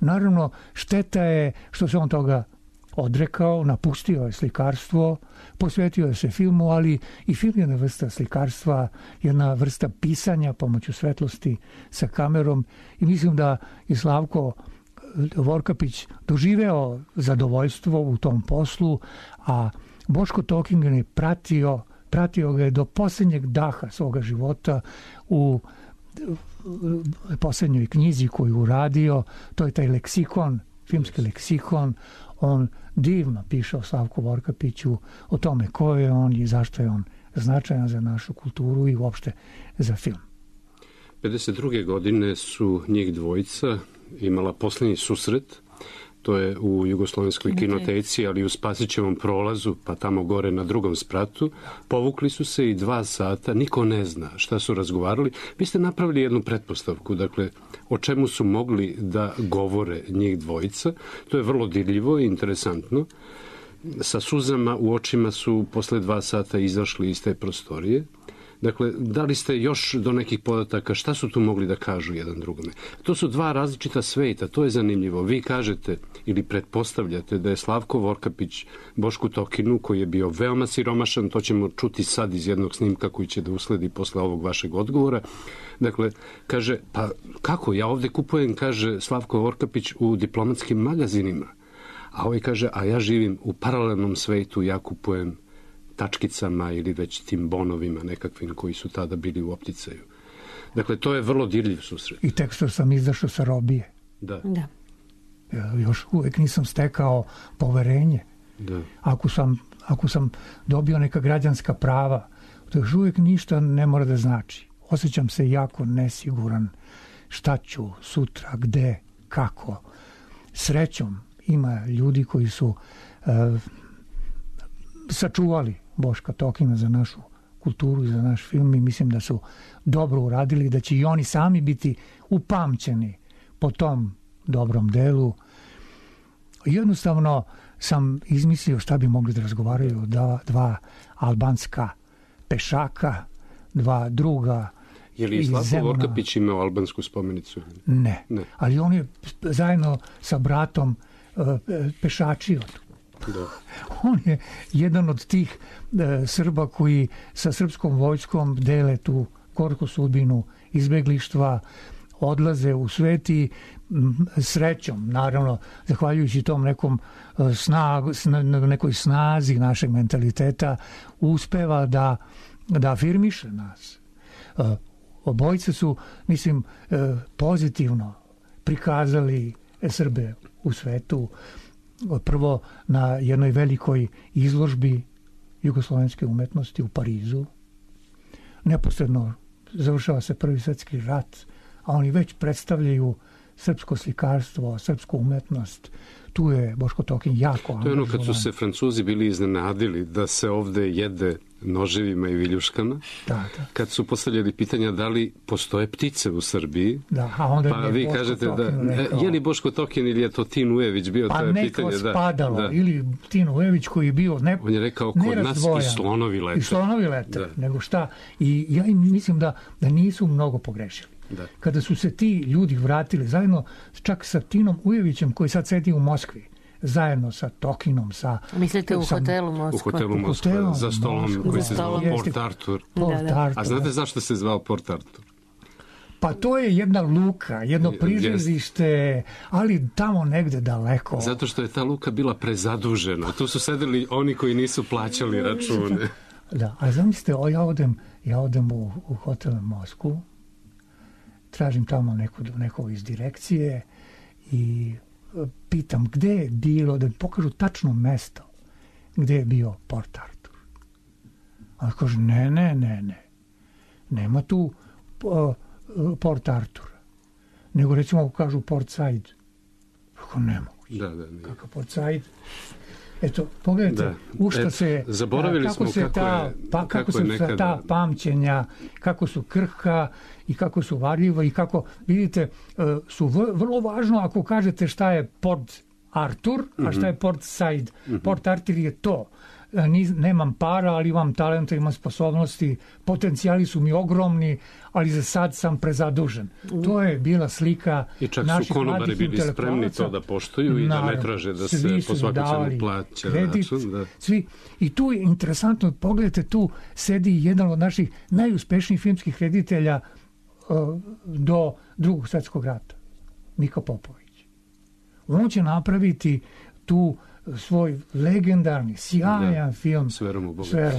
Naravno, šteta je što se on toga odrekao, napustio je slikarstvo, posvetio je se filmu, ali i film je jedna vrsta slikarstva, jedna vrsta pisanja pomoću svetlosti sa kamerom i mislim da je Slavko Vorkapić doživeo zadovoljstvo u tom poslu, a Boško Tokin ga je pratio ga je do posljednjeg daha svoga života u posljednjoj knjizi koju uradio, to je taj leksikon, filmski leksikon. On divno piše o Slavku Vorkapiću, o tome ko je on i zašto je on značajan za našu kulturu i uopšte za film. 52. godine su njih dvojica imala posljednji susret, to je u Jugoslovenskoj kinoteci, ali u Spasićevom prolazu, pa tamo gore na drugom spratu. Povukli su se i 2 sata, niko ne zna šta su razgovarali. Vi ste napravili jednu pretpostavku, dakle, o čemu su mogli da govore njih dvojica. To je vrlo dirljivo i interesantno. Sa suzama u očima su posle 2 sata izašli iz te prostorije. Dakle, dali ste još do nekih podataka šta su tu mogli da kažu jedan drugome. To su 2 različita sveta, to je zanimljivo. Vi kažete ili pretpostavljate da je Slavko Vorkapić Bošku Tokinu, koji je bio veoma siromašan, to ćemo čuti sad iz jednog snimka koji će da usledi posle ovog vašeg odgovora. Dakle, kaže, pa kako, ja ovde kupujem, kaže Slavko Vorkapić, u diplomatskim magazinima. A ovaj kaže, a ja živim u paralelnom svetu, ja kupujem tačkicama ili već tim bonovima nekakvim koji su tada bili u opticaju. Dakle, to je vrlo dirljiv susret. I tek što sam izašao sa robije. Da. Ja još uvek nisam stekao poverenje. Da. Ako sam dobio neka građanska prava, to još uvek ništa ne mora da znači. Osjećam se jako nesiguran. Šta ću sutra, gde, kako. Srećom ima ljudi koji su sačuvali Boška Tokina za našu kulturu i za naš film i mislim da su dobro uradili, da će i oni sami biti upamćeni po tom dobrom delu. Jednostavno sam izmislio šta bi mogli da razgovaraju dva albanska pešaka, dva druga. Je li Slavko Vorkapić imao albansku spomenicu? Ne. Ali on je zajedno sa bratom pešačio. Da. On je jedan od tih Srba koji sa srpskom vojskom dele tu gorku sudbinu izbeglištva, odlaze u svet i srećom, naravno, zahvaljujući tom nekoj snazi našeg mentaliteta, uspeva da afirmiše nas. Obojice su, mislim, pozitivno prikazali Srbe u svetu. Prvo na jednoj velikoj izložbi jugoslovenske umetnosti u Parizu. Neposredno završava se Prvi svjetski rat, a oni već predstavljaju srpsko slikarstvo, srpsku umetnost. Tu je Boško Tokin jako angažovan. To je ono kad su se Francuzi bili iznenadili da se ovde jede noževima i viljuškama. Da. Kad su postavljali pitanja da li postoje ptice u Srbiji, a onda pa vi kažete je li Boško Tokin ili je to Tin Ujević bio, to je pitanje. Pa neko spadalo, ili Tin Ujević koji je bio on je rekao kod nas i slonovi lete. I slonovi lete, nego šta. I ja mislim da nisu mnogo pogrešili. Da. Kada su se ti ljudi vratili zajedno čak sa Tinom Ujevićem koji sad sedi u Moskvi, zajedno sa Tokinom, mislite u hotelu Moskva? U hotelu Moskva, za stolom koji se zvao Port Artur. A znate zašto se zvao Port Artur? Pa to je jedna luka, jedno priželjzište, ali tamo negde daleko. Zato što je ta luka bila prezadužena. Tu su sedeli oni koji nisu plaćali račune. Da, a zamislite, ja odem u hotel Moskvu, tražim tamo neko iz direkcije i pitam gde je bilo, da mi pokažu tačno mesto gde je bio Port Artur. A kaže, ne. Nema tu Port Artur. Nego recimo kažu Port Said. Kako nemoguće. Da. Kako Port Said. Eto, pogledajte, u šta se... Zaboravili smo kako su nekada... ta pamćenja, kako su krhka i kako su varljiva i kako, vidite, su vrlo važno ako kažete šta je Port Artur, a šta je Port Said. Port Artur je to. Nemam para, ali imam talenta, imam sposobnosti, potencijali su mi ogromni, ali za sad sam prezadužen. To je bila slika naših mladih intelektualaca. I čak su konobari bili spremni to da poštuju i da ne traže da se po svaku cenu plaća račun. Svi. I tu je interesantno, pogledajte, tu sedi jedan od naših najuspešnijih filmskih reditelja do Drugog svjetskog rata, Mika Popović. On će napraviti tu svoj legendarni, sjajan film S verom u Boga.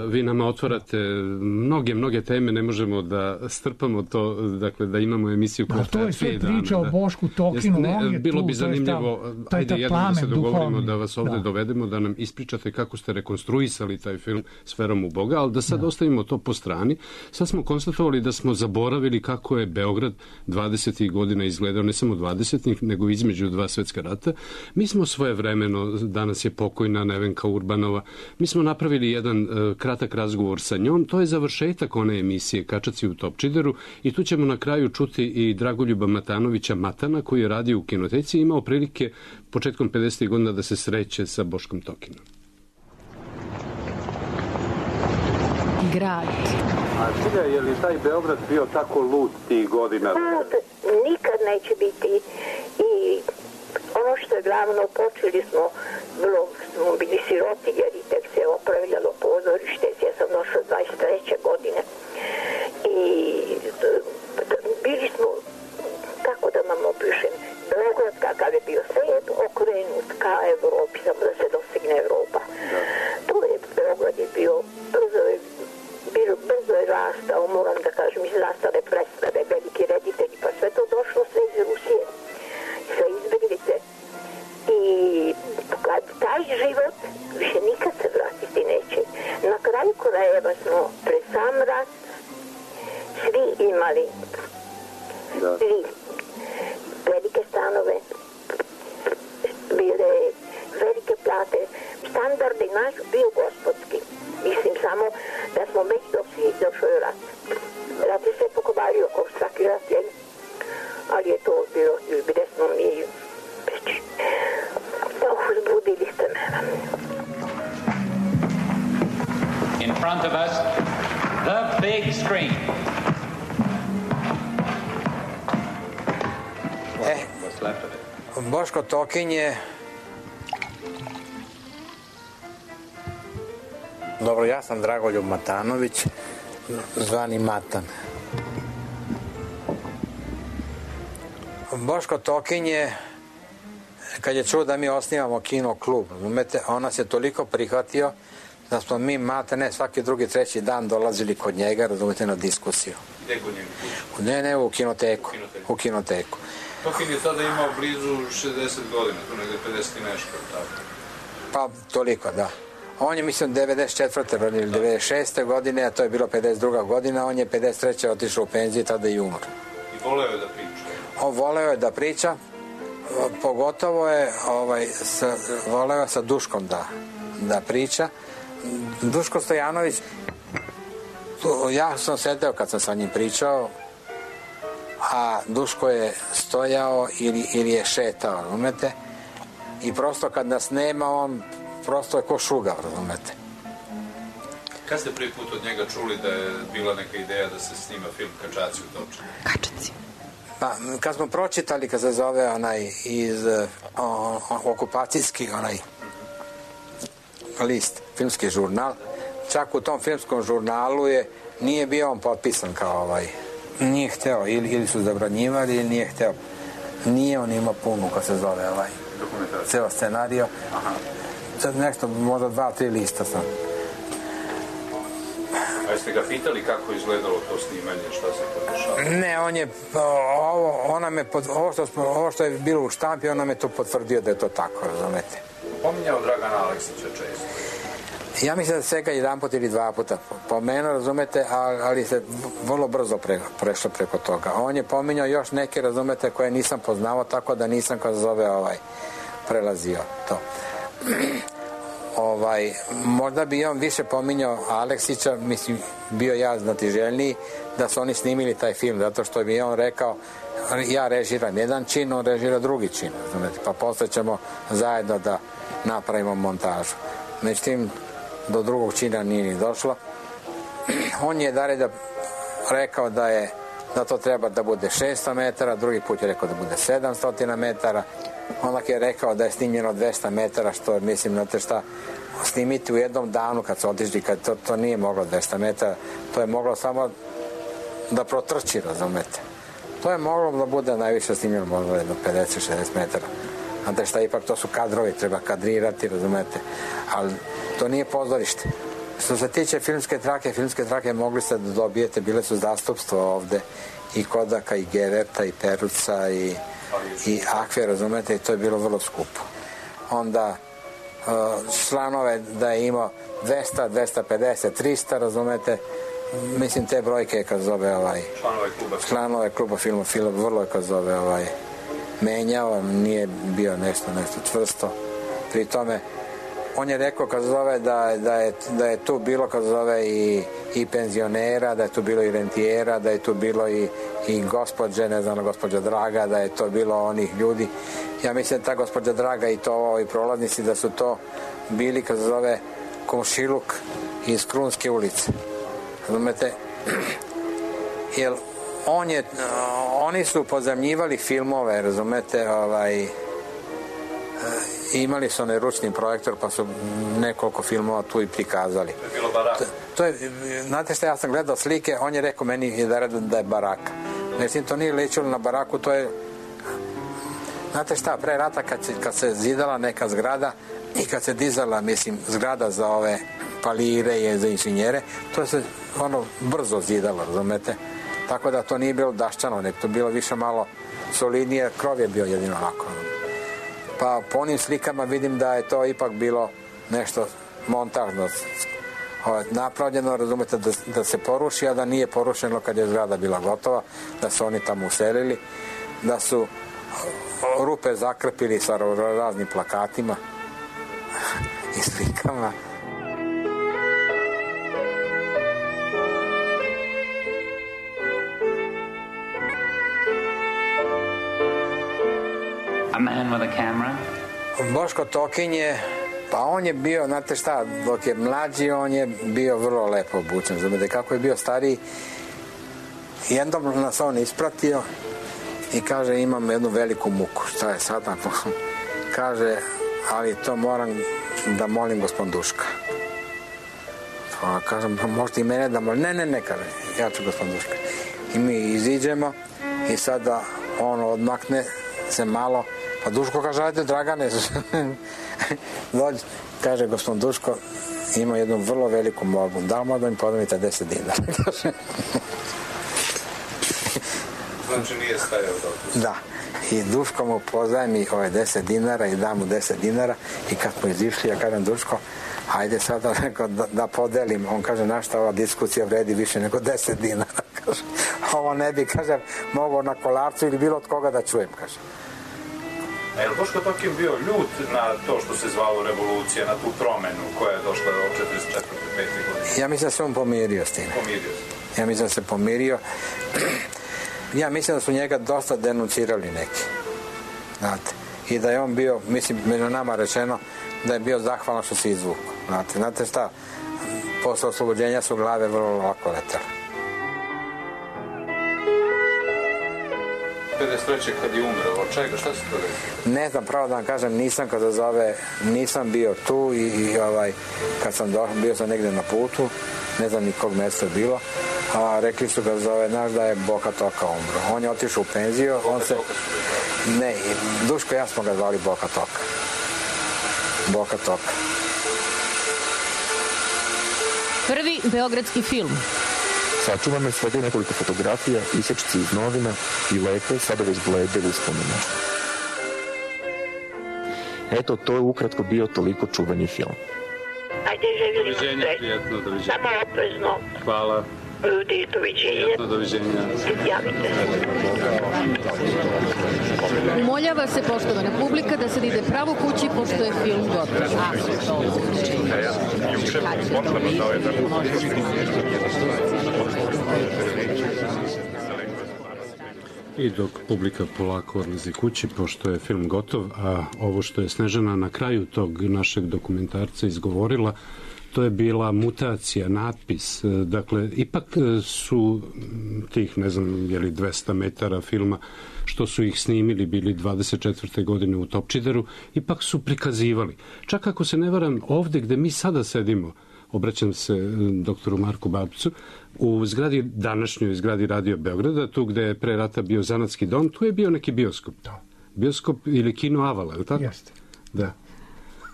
Vi nama otvarate mnoge teme, ne možemo da strpamo to, dakle da imamo emisiju koja to je sve priča o Bošku Tokinu. Bilo bi zanimljivo, ajde jednom da se dogovorimo da vas ovde dovedemo, da nam ispričate kako ste rekonstruisali taj film S verom u Boga, ali da sad ostavimo to po strani. Sad smo konstatovali da smo zaboravili kako je Beograd 20. godina izgledao, ne samo 20. nego između dva svetska rata. Mi smo svojevremeno, danas je pokojna Nevenka Urbanova, mi smo napravili jedan kratak razgovor sa njom, to je završetak one emisije Kačaci u Topčideru i tu ćemo na kraju čuti i Dragoljuba Matanovića Matana koji je radio u kinoteci i imao prilike početkom 50. godina da se sreće sa Boškom Tokinom. Grad. A Silja, je li taj Beograd bio tako lud tih godina? Nikad neće biti. I ono što je glavno, počeli smo bili siroti jer i tek se opravljalo pozorište, ja sam došla 23. godine i bili smo, kako da vam opišem, Beograd kakav je bio svet okrenut ka Evropi, samo da se dostigne Evropa. To je Beograd je bio, brzo je rastao, moram da kažem, iz nastale predstave, veliki reditelji, pa sve to došlo sve iz Rusije, sve izbeglice. I taj život više nikad se vratiti neće. Na kraju krajeva smo pred sam rat svi imali svi velike stanove, bile velike plate, standardi naš bio gospodski. Mislim samo da smo već došli rat. Rat je sve pokvario, kao svaki rat je. of us, the big screen. What's left of it? Boško Tokin je... Dobro, ja sam Dragoljub Matanović, zvani Matan. Boško Tokin je, kad je čuo da mi osnivamo kino klub, razumete, on nas je toliko prihvatio da smo mi maltene svaki drugi, treći dan dolazili kod njega, razumete, na diskusiju. Gde kod njega? Ne, u kinoteku. U kinoteku. Tokin je tada imao blizu 60 godina, tu negde 50 i nešto, tako? Pa, toliko, da. On je, mislim, 94. ili 96. godine, a to je bilo 52. godina, on je 53. otišao u penziju i tada i umro. I voleo je da priča? On voleo je da priča, pogotovo je voleo je sa Duškom da priča. Duško Stojanović, ja sam sedeo kad sam sa njim pričao, a Duško je stojao ili je šetao, razumete? I prosto kad nas nema, on prosto je ko šugav, razumete? Kad ste prvi put od njega čuli da je bila neka ideja da se snima film Kačaci u Topčani? Kačaci. Pa, kad smo pročitali, kad se zove onaj iz okupacijski onaj list, filmski žurnal, čak u tom filmskom žurnalu nije bio on potpisan kao nije hteo, ili su zabranjivali ili nije hteo. Nije on imao punu, kad se zove ceo scenario. Sad nešto, možda 2-3 lista sam. A jeste ga pitali kako izgledalo to snimanje, šta se to dešava? Ne, on je, ovo što je bilo u štampi, on nam je to potvrdio da je to tako, razumete. Pominjao Dragana Aleksića često. Ja mislim da svega 1 put ili 2 puta pomenuo, razumete, ali se vrlo brzo prešlo preko toga. On je pominjao još neke, razumete, koje nisam poznao, tako da nisam, kad zove, prelazio to. Možda bi on više pominjao Aleksića, mislim, bio ja znatiželjniji da su oni snimili taj film, zato što bi on rekao, ja režiram jedan čin, on režira drugi čin, razumete, pa posle ćemo zajedno da napravimo montažu. Međutim, do drugog čina nije ni došlo. On je rekao da to treba da bude 600 metara, drugi put je rekao da bude 700 metara, onda je rekao da je snimljeno 200 metara, što mislim, znate šta, snimiti u jednom danu kad se otišli, kad to nije moglo 200 metara, to je moglo samo da protrči, razumete. To je moglo da bude najviše snimljeno možda jedno 50-60 metara. Znate šta, ipak to su kadrovi, treba kadrirati, razumete, ali to nije pozorište. Što se tiče filmske trake mogli ste da dobijete, bile su zastupstvo ovde i Kodaka i Geverta i Peruca i Akve, razumete, i to je bilo vrlo skupo. Onda članove da je imao 200, 250, 300, razumete, mislim te brojke kad zove članove kluba filma vrlo je kad zove menjao, nije bio nešto čvrsto. Pri tome on je rekao kad zove da je tu bilo kad zove i penzionera, da je tu bilo i rentijera, da je tu bilo i gospođe, ne znam, gospođa Draga, da je to bilo onih ljudi. Ja mislim da ta gospođa Draga i to ovi prolaznici da su to bili kad zove komšiluk iz Krunske ulice. Razumete? Jer oni su pozajmljivali filmove, razumete, imali su onaj ručni projektor pa su nekoliko filmova tu i prikazali. To je bilo baraka. Znate šta, ja sam gledao slike, on je rekao meni da je baraka. Mislim, to nije ličilo na baraku, to je... Znate šta, pre rata kad se zidala neka zgrada i kad se dizala, mislim, zgrada za ove palire i za inženjere, to se brzo zidalo, razumete? Tako da to nije bilo daščano, nek to bilo više malo solidnije, krov je bio jedino onako. Pa po onim slikama vidim da je to ipak bilo nešto montažno napravljeno, razumete, da se poruši, a da nije porušeno kad je zgrada bila gotova, da su oni tamo uselili, da su rupe zakrpili sa raznim plakatima i slikama. A man with a camera? Boško Tokin je Pa on je bio, znate šta, dok je mlađi, on je bio vrlo lepo obučen. Znate, kako je bio stariji, jednom nas on ispratio i kaže, imam jednu veliku muku. Šta je sada? Kaže, ali to moram da molim gospodin Duška. Pa kažem, možete i mene da molim? Ne, kaže, ja ću gospodin Duška. I mi iziđemo i sada on odmakne se malo, pa Duško kaže, ajde Dragane, dođe, kaže gospodin Duško, ima jednu vrlo veliku molbu, da li možda mi podavite 10 dinara? Znači nije stajao dobro. Da, i Duško mu pozajmi 10 dinara i da mu 10 dinara i kad smo izišli, ja kažem Duško, ajde sada da podelim. On kaže, našta ova diskusija vredi više nego 10 dinara. Kaže, ovo ne bi, kaže, mogao na Kolarcu ili bilo od koga da čujem, kaže. A je li Boško Tokin bio ljut na to što se zvalo revolucija, na tu promenu koja je došla od 44. 5. godine? Ja mislim da se on pomirio s tim. Ja mislim da se pomirio. Ja mislim da su njega dosta denuncirali neki. Znate. I da je on bio, mislim, među nama rečeno, da je bio zahvalan što se izvukao. Znate šta, posle oslobođenja su glave vrlo lako letele. 53. kad je umreo, od čega, šta se to desilo? Ne znam, pravo da vam kažem, nisam kada zove, nisam bio tu i kad sam bio sam negdje na putu, ne znam ni kog mjesta je bilo, a rekli su ga zove, znaš da je Boka Toka umro. On je otišao u penziju, ne, Duško i ja smo ga zvali Boka Toka. Boka Toka. Prvi beogradski film. Sačuvano je svega nekoliko fotografija, isječci iz novina i lepe, sada već blede uspomene. Eto, to je ukratko bio toliko čuveni film. Ajde, želim doviđenja, prijetno, doviđenja. Samo oprezno. Hvala. Ljudi, doviđenja. Prijetno, doviđenja. Javite se. Umoljava se, poštovana publika, da sad ide pravo kući, pošto je film gotov. I dok publika polako odlazi kući, pošto je film gotov, a ovo što je Snežana na kraju tog našeg dokumentarca izgovorila, to je bila mutacija, natpis. Dakle, ipak su tih, ne znam, je li 200 metara filma, što su ih snimili, bili 24. godine u Topčideru, ipak su prikazivali. Čak ako se ne varam, ovde gde mi sada sedimo, obraćam se doktoru Marku Babcu, u zgradi, današnjoj zgradi Radio Beograda, tu gde je pre rata bio zanatski dom, tu je bio neki bioskop. Da. Bioskop ili kino Avala, je li tako? Jeste. Da.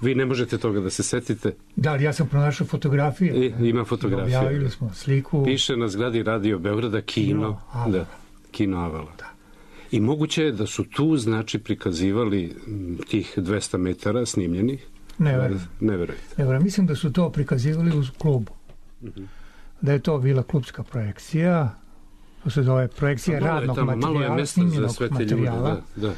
Vi ne možete toga da se setite. Da, ali ja sam pronašao fotografije. Ima fotografije. Objavili smo sliku. Piše na zgradi Radio Beograda kino Avala. Da, kino Avala. Da. I moguće je da su tu, znači, prikazivali tih 200 metara snimljenih. Ne verujem. Mislim da su to prikazivali u klubu. Da je to bila klubska projekcija. To se zove projekcija radnog materijala, snimljenog materijala. Da.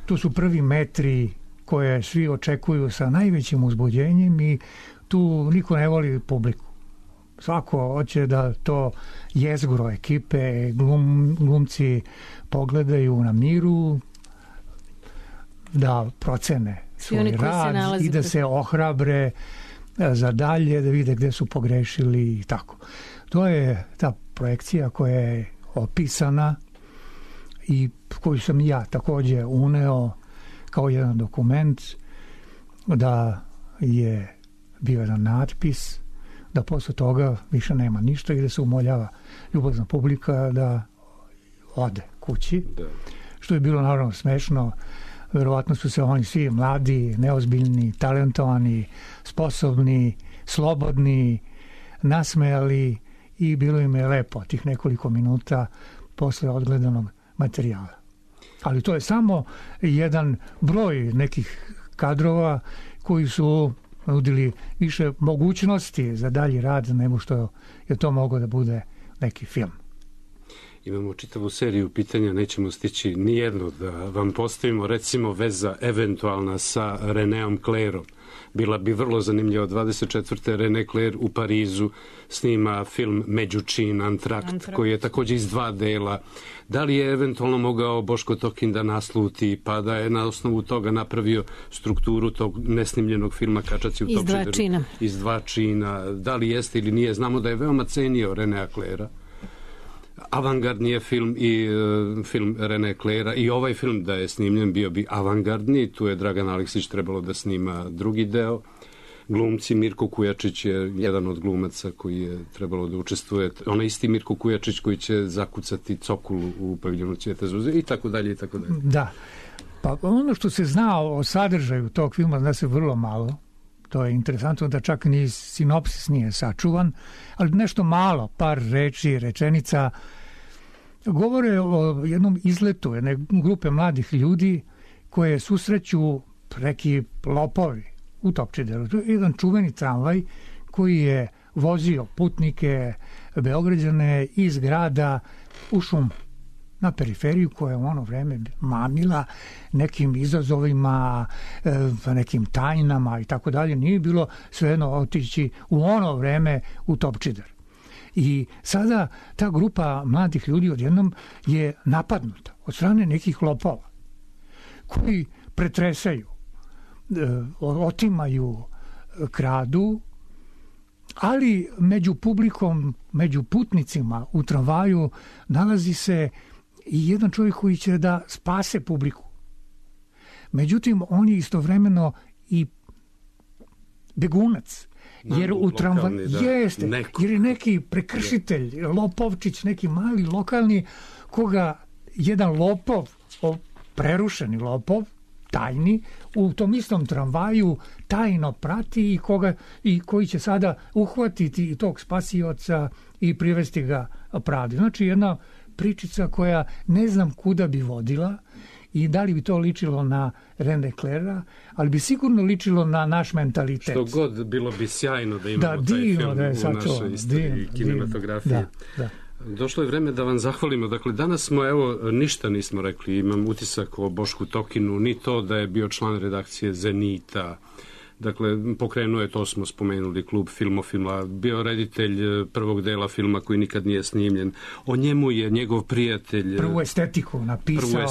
Tu su prvi metri koje svi očekuju sa najvećim uzbuđenjem i tu niko ne voli publiku. Svako hoće da to jezgro ekipe, glumci pogledaju na miru, da procene svoj rad i da se ohrabre za dalje, da vide gde su pogrešili i tako. To je ta projekcija koja je opisana i koju sam ja također uneo kao jedan dokument, da je bio jedan natpis, da posle toga više nema ništa i da se umoljava ljubazna publika da ode kući. Da. Što je bilo naravno smešno. Verovatno su se oni svi mladi, neozbiljni, talentovani, sposobni, slobodni, nasmejali i bilo im je lepo tih nekoliko minuta posle odgledanog materijala. Ali to je samo jedan broj nekih kadrova koji su nudili više mogućnosti za dalji rad nego što je to moglo da bude neki film. Imamo čitavu seriju pitanja, nećemo stići nijedno da vam postavimo, recimo veza eventualna sa Reneom Clairom. bila bi vrlo zanimljiva. 24. René Clair u Parizu snima film Međučin, Antrakt, koji je također iz 2 dela. Da li je eventualno mogao Boško Tokin da nasluti, pa da je na osnovu toga napravio strukturu tog nesnimljenog filma Kačaci u Topčideru? Iz 2 čina. Da li jeste ili nije? Znamo da je veoma cenio Renea Claira. Avangardni je film i film René Claira i ovaj film da je snimljen bio bi avangardni. Tu je Dragan Aleksić trebalo da snima drugi deo. Glumci, Mirko Kujačić je jedan od glumaca koji je trebalo da učestvuje. Onaj isti Mirko Kujačić koji će zakucati cokulu u paviljonu Cvijeta zuze i tako dalje i tako dalje. Da. Pa ono što se zna o sadržaju tog filma zna se vrlo malo. To je interesantno da čak ni sinopsis nije sačuvan, ali nešto malo, par reči, rečenica, govore o jednom izletu jedne grupe mladih ljudi koje susreću neki lopovi u Topčideru. To je jedan čuveni tramvaj koji je vozio putnike Beograđane iz grada u šum na periferiju koja je u ono vreme mamila nekim izazovima, nekim tajnama i tako dalje. Nije bilo svejedno otići u ono vreme u Topčider. I sada ta grupa mladih ljudi odjednom je napadnuta od strane nekih lopova koji pretresaju, otimaju, kradu, ali među publikom, među putnicima u tramvaju nalazi se i jedan čovjek koji će da spase publiku. Međutim, on je istovremeno i begunac. Jer u tramvaju jeste, jer je neki prekršitelj, lopovčić, neki mali lokalni, koga jedan lopov, prerušeni lopov, tajni, u tom istom tramvaju tajno prati i koji će sada uhvatiti tog spasioca i privesti ga pravdi. Znači jedna pričica koja ne znam kuda bi vodila i da li bi to ličilo na René Claira, ali bi sigurno ličilo na naš mentalitet. Što god, bilo bi sjajno da imamo taj film u našoj istoriji kinematografije. Da. Došlo je vreme da vam zahvalimo. Dakle, danas smo, ništa nismo rekli. Imam utisak o Bošku Tokinu, ni to da je bio član redakcije Zenita. Dakle, pokrenuo je, to smo spomenuli, klub Filmofila, bio reditelj prvog dela filma koji nikad nije snimljen. O njemu je njegov prijatelj... Prvu estetiku napisao.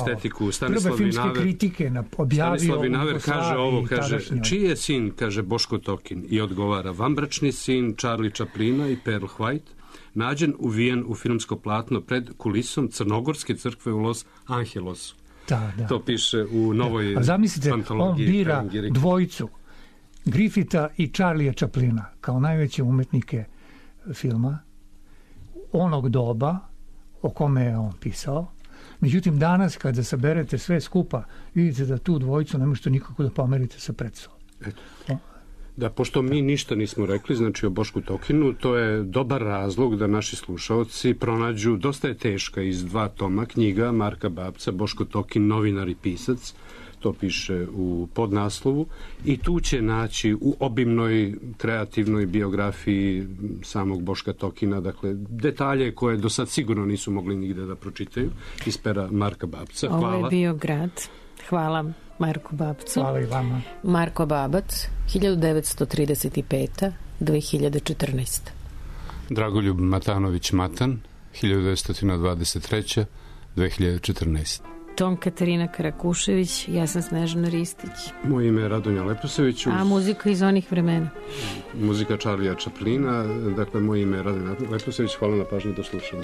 Prve filmske kritike objavio. Stanislav Vinaver kaže ovo, kaže, čiji je sin, kaže Boško Tokin, i odgovara, vanbračni sin Charlie Chaplina i Pearl White, nađen uvijen u filmsko platno pred kulisom Crnogorske crkve u Los Angelosu. Da. To piše u novoj zamislite, antologiji. On bira dvojicu, Griffitha i Charlie'a Chaplina, kao najveće umetnike filma onog doba o kome je on pisao. Međutim, danas kada saberete sve skupa, vidite da tu dvojicu ne možete nikako da pomerite sa predstavom. Da, pošto mi ništa nismo rekli, znači o Bošku Tokinu, to je dobar razlog da naši slušaoci pronađu, dosta je teška, iz 2 toma knjiga Marka Babca, Boško Tokin, novinar i pisac, to piše u podnaslovu, i tu će naći u obimnoj kreativnoj biografiji samog Boška Tokina, dakle, detalje koje do sad sigurno nisu mogli nigde da pročitaju iz pera Marka Babca. Hvala. Ovo je bio grad. Hvala Marku Babcu. Hvala i vama. Marko Babac, 1935. 2014. Dragoljub Matanović Matan, 1923. 2014. Tom Katarina Karakušević, ja sam Snežana Ristić. Moje ime je Radonja Leposević. A muzika iz onih vremena? Muzika Charlie'a Chaplina, dakle moje ime je Radonja Leposević, hvala na pažnji, do slušanja.